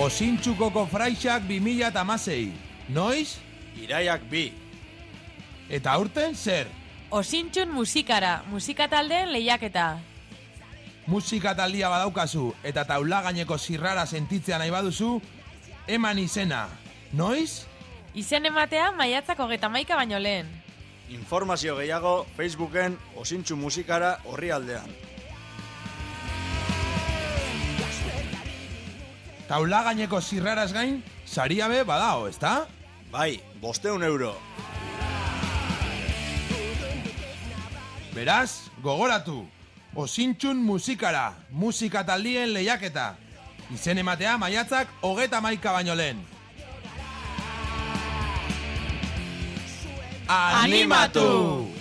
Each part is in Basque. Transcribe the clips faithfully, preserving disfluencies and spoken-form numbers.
Osintxuko kofraixak bi mila hamasei. Noiz? Iraiak bi. Eta aurten zer? Osintxun musikara, musikataldeen lehiaketa. Musikataldia badaukazu eta taula gaineko zirrara sentitzea nahi baduzu, eman izena. Noiz? Izen ematea maiatzak hogeita hamaika baino lehen. Informazio gehiago Facebooken Osintxu musikara orrialdean. Taula gaineko zirraraz gain, saria be badao, ezta? Bai, bosteun euro. Beraz, gogoratu, Osintxun musikara, musikataldien lehiaketa. Izen ematea maiatzak hogeita hamaika baino lehen. Animatu!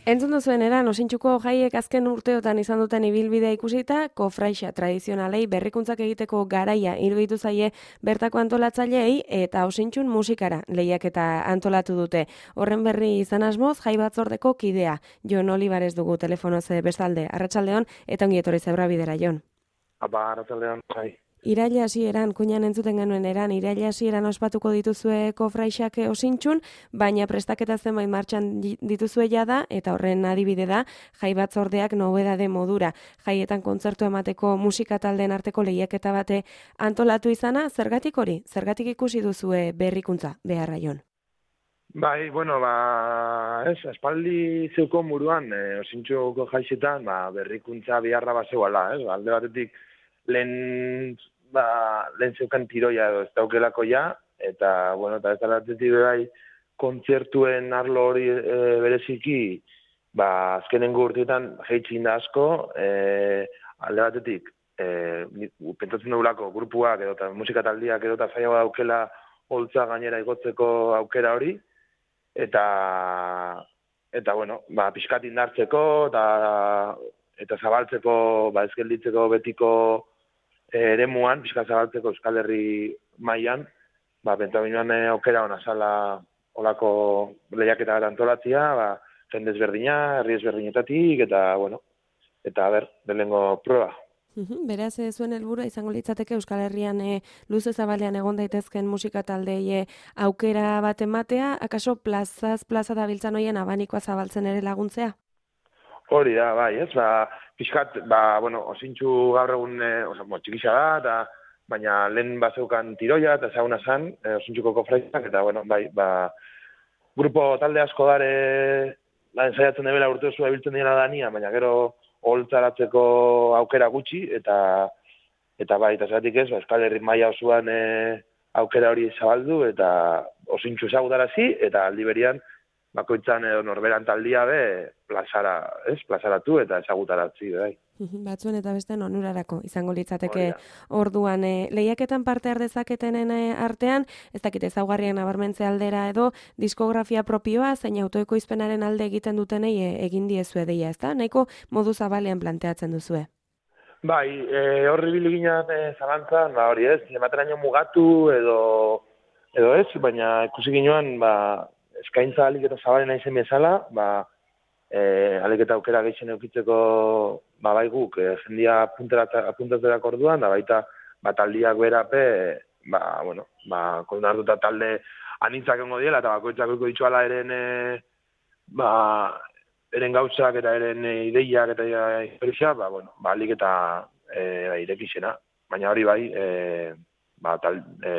Entzun duzuen eran, Osintxuko jaiek azken urteotan izan duten ibilbidea ikusita, kofraixa tradizionalei berrikuntza egiteko garaia iruditu zaie bertako antolatzaileei eta Osintxun musikara lehiaketa antolatu dute. Horren berri izan asmoz, jai batzordeko kidea. Jon Olivares dugu telefonoz bestalde. Arratsaldeon eta ongi etorri Zebra Bidera, Jon. Apa, arratsaldeon, jai. Iraila hasieran, kuinan entzuten genuen eran, iraila hasieran ospatuko dituzue kofraixak Osintxun, baina prestaketa zenbait martxan dituzue jada, eta horren adibide da, jai batzordeak nobedade modura. Jaietan kontzertu emateko musika taldeen arteko lehiaketa bate antolatu izana, zergatik hori? Zergatik ikusi duzue berrikuntza, beharra, Jon? Bai, bueno, ba, ez, espaldi zeuko muruan, e, Osintxuko jaixetan, ba, berrikuntza biharra bazegoala, ez, alde batetik, lehen, ba, lehen zeukan tiroia edo ez daukelako ja, eta, bueno, eta ez alatetik bai, kontzertuen arlo hori e, bereziki, ba, azkenengo urteetan jeitxin da asko, e, alde batetik, e, pentsatzen dugulako grupuak edo eta musikataldiak edo eta zaiago daukela holtza gainera igotzeko aukera hori, eta, eta bueno, ba, pixkat indartzeko, eta, eta zabaltzeko, ba, ez gelditzeko betiko eremuan, pixka zabaltzeko Euskal Herri mailan, ba, pentaminuan aukera hona zala olako lehiaketa bat antolatzia, ba, jende ezberdina, herri ezberdinetatik, eta, bueno, eta, ber, belengo prueba. Beraz, zuen helburua izango litzateke Euskal Herrian e, luze zabalean egon daitezken musika taldei aukera bat ematea, akaso plazaz, plaza dabiltzan hoien abanikoa zabaltzen ere laguntzea? Hori da, bai, ez, ba, pixkat, ba, bueno, Osintxu gaur egun, e, oza, mo, txikisa da, eta, baina lehen bazeukan tiroia, eta ezaguna zan, e, Osintxuko kofraixak, eta, bueno, bai, ba, grupo talde asko dare, da, ensaiatzen debela urte oso ebiltzen dira dania, baina gero holtzaratzeko aukera gutxi, eta, eta bai, eta zeratik ez, ba, Euskal Herri maila osoan e, aukera hori zabaldu, eta Osintxu ezagutarazi, eta aldi berian, bakoitzan edo norberan taldia be plazara, ez, plazaratu eta ezagutaratzi, bai. Batzuen eta beste onurarako izango litzateke orduan. E, lehiaketan parte har dezaketenen artean, ez dakit ezaugarriak nabarmentze aldera edo diskografia propioa zein autoekoizpenaren alde egiten dutenei e, egin diezue deia, ezta? Nahiko modu zabalean planteatzen duzue. Bai, e, horri biliginan e, zalantzan, ba, hori ez, emateraino mugatu edo, edo ez, baina ikusi ginoan, ba, eskaintza alik eta zabalena izen bezala, ba, e, alik eta aukera gehien eukitzeko ba, bai guk, e, jendia apuntatzerak orduan, da baita ba, taldiak berape, ba, bueno, ba, kondartuta talde anitzak ongo diela, eta bakoitzak eko ditxuala eren, e, ba, eren gauzak eta eren ideiak eta historia, ba, bueno, ba, alik eta e, ba, irekixena. Baina hori bai, e, ba, tal, e,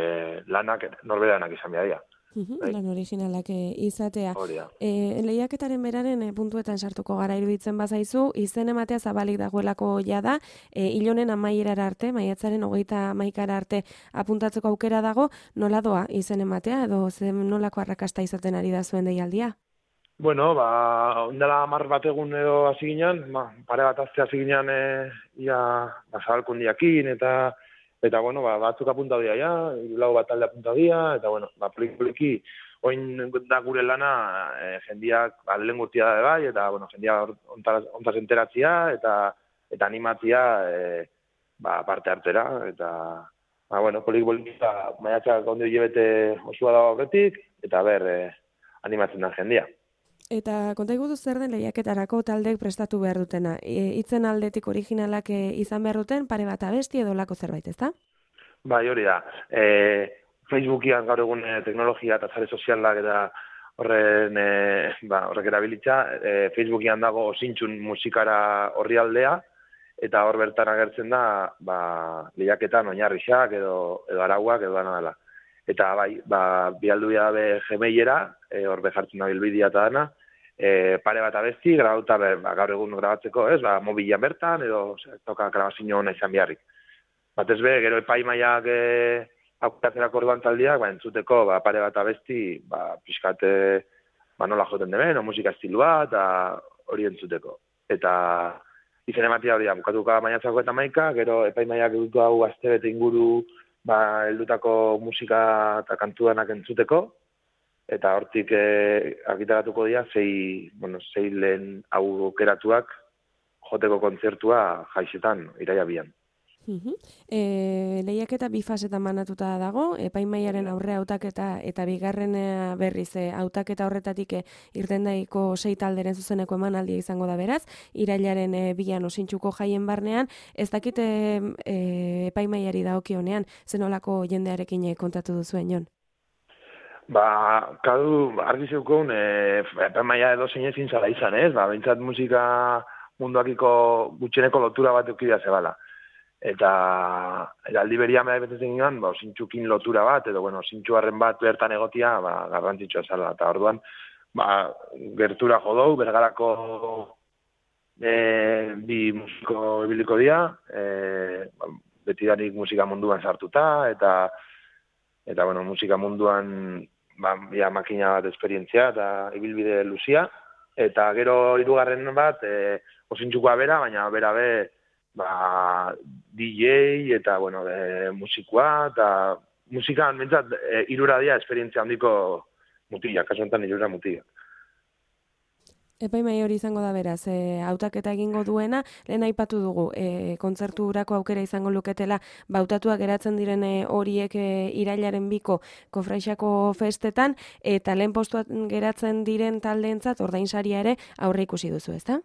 lanak, norberanak izan behar dira. Uhum, lan originalak izatea. E, lehiaketaren beraren e, puntuetan sartuko gara iruditzen bazaizu, izen ematea zabalik dagoelako jada, e, ilonen amaierara arte, maiatzaren hogeita hamaikara arte apuntatzeko aukera dago, nola doa izen ematea, edo zen nolako arrakasta izaten ari da zuen deialdia? Bueno, ba, ondela hamar bat egun edo hasi ginen, ba, pare bat azte hasi ginen, e, ia, ba, zabalkundiakin, eta Eta, bueno, ba, batzuk apuntau dira, ja, lau bat talde apuntau dira, eta, bueno, ba, poliki, oin da gure lana, e, jendiak, ba, lehen gurtia da bai, eta, bueno, jendia ontaz enteratzia, eta, eta animatzia, e, ba, parte hartera, eta, ba, bueno, poliki, poliki, ba, maiatzak ondo hilebete osua dago aurretik, eta, ber, e, animatzen da jendia. Eta konta igutu zer den lehiaketarako taldeek prestatu behar dutena? E, itzen aldetik originalak e, izan behar duten, pare bat abesti edo lako zerbait, ezta? Bai, hori da. E, Facebookian gaur egun e, teknologia eta sare sozialak eta horren e, ba, horrek erabilitza, e, Facebookian dago Osintxun musikara orrialdea, eta hor bertan agertzen da ba, lehiaketan oinarrixak edo, edo arauak edo dana dela. Eta bai, ba, bialdu be Gmailera, e, hor behartzen da bilbidea eta dana, e, pare bat abesti, grabauta be, ba, gaur egun grabatzeko, ez, ba, mobilan bertan, edo ez toka grabazio hona izan beharrik. Batez be, gero epaimaiak e, aukeratzerako orduan taldiak, ba, entzuteko, ba, pare bat abesti, ba, pixkate, ba, nola joten deben, o musika estilua, eta hori entzuteko. Eta izen ematia hori da, bukatuka maiatzako eta maika, gero epaimaiak edutu hau astebete inguru, ba, heldutako musika eta kantuanak entzuteko, eta hortik e, argitaratuko dira sei, bueno, sei lehen aukeratuak joteko kontzertua jaixetan, iraia bian. Uh-huh. E, lehiaketa bi fasetan banatuta dago, epaimaiaren aurre hautaketa eta bigarren berriz e, hautaketa horretatik e, irtendaiko sei talderen zuzeneko emanaldia izango da beraz, irailaren e, bian Osintxuko jaien barnean, ez dakite e, epaimaiari dagokionean, zenolako jendearekin e, kontatu duzuen, Jon? Ba, kadu, argi zeukon, e, epaimaia edo zein ezin zala izan, ez? Ba, bintzat musika munduakiko gutxeneko lotura bat eukidea zebala. Eta, eta aldi berian behar betetzen ginoan, ba, Osintxukin lotura bat, edo, bueno, Osintxuarren bat bertan egotia, ba, garrantzitsua zala. Eta orduan, ba, gertura jodou, bergarako e, bi musiko ebiliko dira, e, ba, betidanik musika munduan sartuta, eta, eta bueno, musika munduan, ba, ja, makina bat esperientzia, eta ibilbide luzia. Eta gero hirugarren bat, e, Osintxukoa bera, baina bera be, ba, D J eta, bueno, e, musikoa, eta musikan, mentzat, e, irura dia esperientzia handiko mutilak, kasu enten irura mutilak. Epaimai hori izango da beraz, e, hautaketa egingo duena, lehen aipatu dugu, e, kontzerturako aukera izango luketela, bautatuak geratzen diren e, horiek e, irailaren biko Kofraixako festetan, eta lehen postuan geratzen diren taldeentzat ordainsaria ere aurre ikusi duzu, ezta?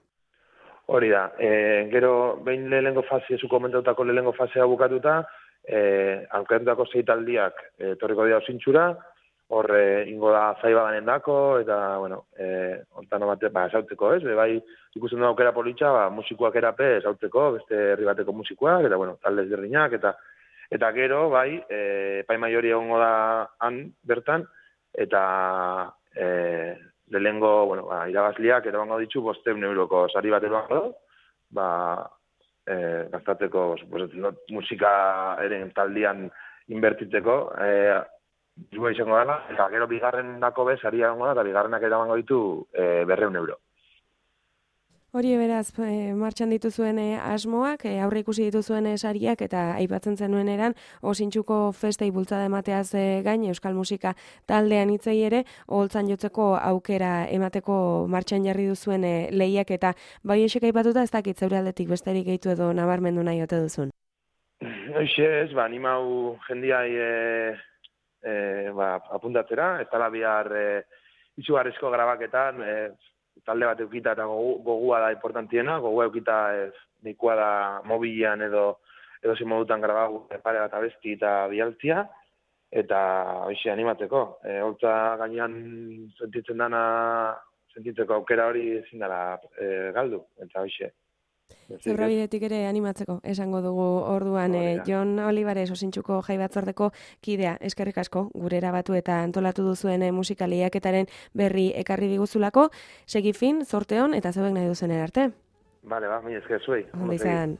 Hori da, e, gero behin lehenengo fase, zu komentautako lehenengo fasea bukatuta, e, aukeratutako sei taldiak e, torriko dira Osintxura, hor e, ingo da zaibadanen dako, eta, bueno, e, ontan bate, ba, esautzeko, ez? Be, bai, ikusten du aukera politxa, ba, musikoak erape esautzeko, beste herri bateko musikoak, eta, bueno, talde ezberdinak, eta, eta gero, bai, e, epaimai hori egongo da han bertan, eta, e, lehengo, bueno, ba, irabazliak erabango ditzu bosteun euroko sari bat erabango da, ba, e, gaztatzeko, pues, musika eren taldian inbertitzeko, e, Zua izango dela, eta gero bigarren dako bez, ari egongo da, eta bigarrenak eramango ditu e, berreun euro. Hori beraz, e, martxan dituzuen e, asmoak, e, aurre ikusi dituzuen e, sariak, eta aipatzen zenuen eran, Osintxuko festei bultzada emateaz e, gain, Euskal Musika taldean hitzei ere, oholtzan jotzeko aukera emateko martxan jarri duzuen e, lehiak, eta bai esek aipatuta ez dakit zeure aldetik besterik gehitu edo nabarmendu nahi ote duzun. Hoxe ez, ba, animau jendiai e, e, ba, apuntatzera, ez tala bihar e, izugarrizko grabaketan, e, talde bat eukita eta gogu, gogua da importantiena, gogua eukita ez nikoa da mobilean edo edo zi modutan grabau pare bat abesti eta bialtzia, eta hoxe animatzeko. E, holtza gainean sentitzen dana, sentitzeko aukera hori ezin dara e, galdu, eta hoxe. Zebrabidetik ere animatzeko, esango dugu orduan, e, Jon Olivares Osintxuko jai batzordeko kidea, eskerrik asko, gure erabatu eta antolatu duzuen e, musika lehiaketaren berri ekarri diguzulako, segi fin, zorteon eta zeuek nahi duzen erarte. Bale, ba, mi esker zuei. Ondo izan.